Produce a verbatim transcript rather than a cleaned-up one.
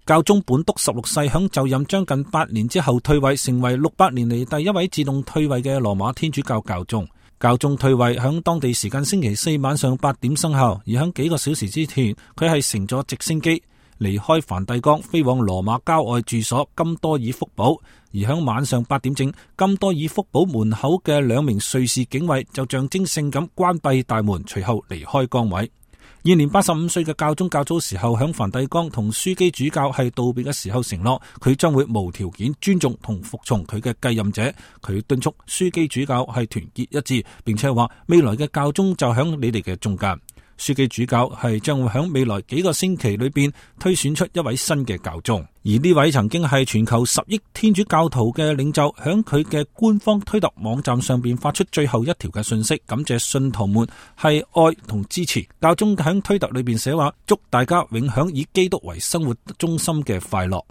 教宗本篤十六世響就任將近八年之後退位，成為六百年嚟第一位自動退位嘅羅馬天主教教宗。教宗退位響當地時間星期四晚上八點生效，而響幾個小時之前，佢係乘咗直升機離開梵蒂岡，飛往羅馬郊外住所金多爾福堡。而響晚上八點正，金多爾福堡門口嘅兩名瑞士警衛就象徵性咁關閉大門，隨後離開崗位。現年八十五歲嘅教宗較早時候響梵蒂岡同樞機主教係道別嘅時候承諾，佢將會無條件尊重同服從佢嘅繼任者。佢敦促樞機主教係團結一致，並且話未來嘅教宗就響你哋嘅中間。樞機主教係將會響未來幾個星期裏邊推選出一位新嘅教宗，而呢位曾經係全球十億天主教徒嘅領袖，響佢嘅官方推特網站上邊發出最後一條嘅信息，感謝信徒們係愛同支持。教宗響推特裏邊寫話，祝大家永享以基督為生活中心嘅快樂。